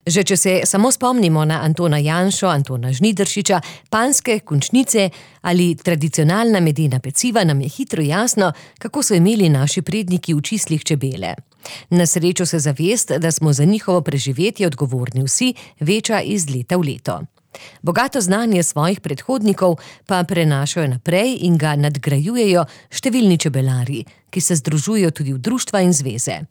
Že če se samo spomnimo na Antona Janšo, Antona Žnidaršiča, panjske končnice ali tradicionalna medena peciva, nam je hitro jasno, kako so imeli naši predniki v čislih čebele. Na srečo se zavest, da smo za njihovo preživetje odgovorni vsi, veča iz leta v leto. Bogato znanje svojih predhodnikov pa prenašajo naprej in ga nadgrajujejo številni čebelarji, ki se združujejo tudi v društva in zveze.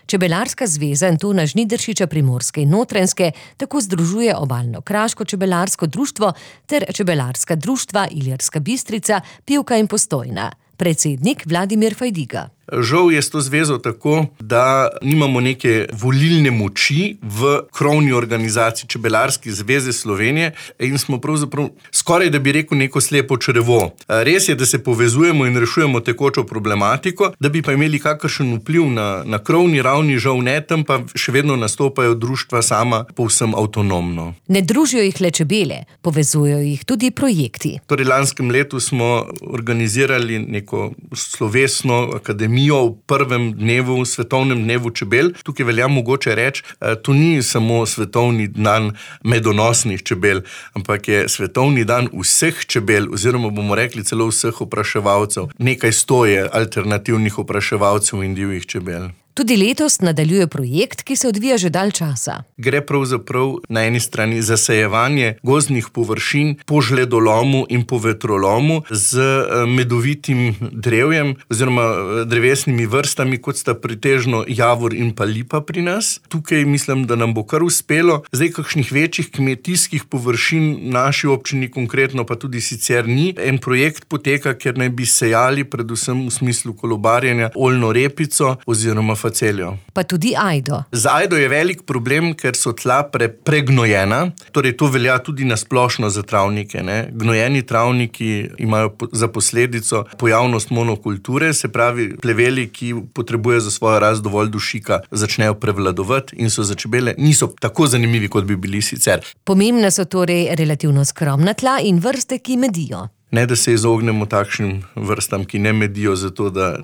Čebelarska zveza Antona Žnidaršiča Primorske in Notranjske tako združuje Obalno-kraško čebelarsko društvo ter čebelarska društva Ilirska Bistrica, Pivka in Postojna. Predsednik Vladimir Fajdiga. Žal je s to zvezo tako, da nimamo neke volilne moči v krovni organizaciji Čebelarske zveze Slovenije in smo pravzaprav skoraj, da bi rekel, neko slepo črevo. Res je, da se povezujemo in rešujemo tekočo problematiko, da bi pa imeli kakršen vpliv na krovni ravni, žal ne, tam pa še vedno nastopajo društva sama povsem avtonomno. Ne družijo jih le čebele, povezujejo jih tudi projekti. Torej, lanskem letu smo organizirali neko slovesno akademijo v prvem dnevu, svetovnem dnevu čebel. Tukaj velja mogoče reči, to ni samo svetovni dan medonosnih čebel, ampak je svetovni dan vseh čebel, oziroma bomo rekli celo vseh opraševalcev. Nekaj 100 je alternativnih opraševalcev in divjih čebel. Tudi letos nadaljuje projekt, ki se odvija že dalj časa. Gre pravzaprav na eni strani zasajevanje gozdnih površin po žledolomu in po vetrolomu z medovitim drevjem oziroma drevesnimi vrstami, kot sta pretežno javor in pa lipa pri nas. Tukaj mislim, da nam bo kar uspelo. Zdaj kakšnih večjih kmetijskih površin naši občini konkretno pa tudi sicer ni. En projekt poteka, ker naj bi sejali predvsem v smislu kolobarjenja oljno repico oziroma faceljo. Pa tudi ajdo. Z ajdo je velik problem, ker so tla pregnojena, torej to velja tudi na splošno za travnike. Gnojeni travniki imajo za posledico pojavnost monokulture, se pravi pleveli, ki potrebujejo za svojo rast dovolj dušika, začnejo prevladovati in so za čebele niso tako zanimivi, kot bi bili sicer. Pomembna so torej relativno skromna tla in vrste, ki medijo. Ne, da se izognemo takšnim vrstam, ki ne medijo, zato da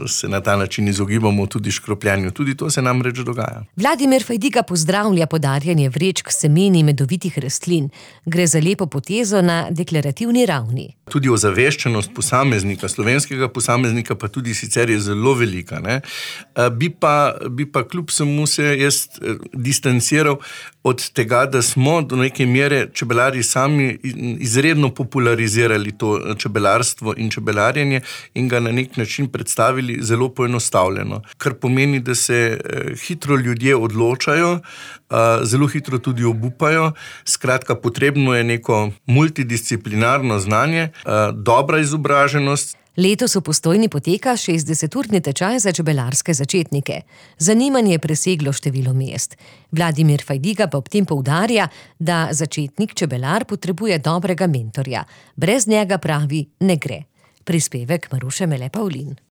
se na ta način izogibamo tudi škropljanju. Tudi to se namreč dogaja. Vladimir Fajdiga pozdravlja podarjanje vrečk semeni medovitih rastlin. Gre za lepo potezo na deklarativni ravni. Tudi ozaveščenost posameznika, slovenskega posameznika, pa tudi sicer je zelo velika. Bi pa kljub vsemu se jaz distanciral od tega, da smo do neke mere čebelari sami izredno popularizirali to čebelarstvo in čebelarjenje in ga na nek način predstavili zelo poenostavljeno. Kar pomeni, da se hitro ljudje odločajo, zelo hitro tudi obupajo. Skratka, potrebno je neko multidisciplinarno znanje, dobra izobraženost. Letos v Postojni poteka 60-urni tečaj za čebelarske začetnike. Zanimanje je preseglo število mest. Vladimir Fajdiga pa ob tem poudarja, da začetnik čebelar potrebuje dobrega mentorja. Brez njega, pravi, ne gre. Prispevek Maruše Mele Pavlin.